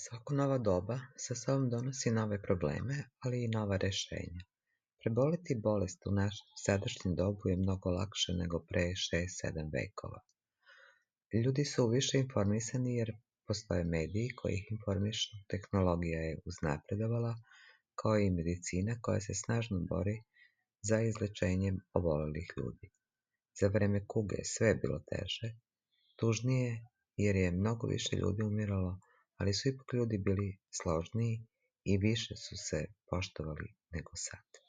Svako novo doba sa sobom donosi nove probleme, ali i nova rešenja. Preboleti bolest u našem sadašnjem dobu je mnogo lakše nego pre 6-7 vekova. Ljudi su više informisani jer postoje mediji koji ih informišu, tehnologija je uznapredovala, kao i medicina koja se snažno bori za izlečenjem obolelih ljudi. Za vreme kuge sve je bilo teže, tužnije jer je mnogo više ljudi umiralo, ali su ipak ljudi bili složniji i više su se poštovali nego sad.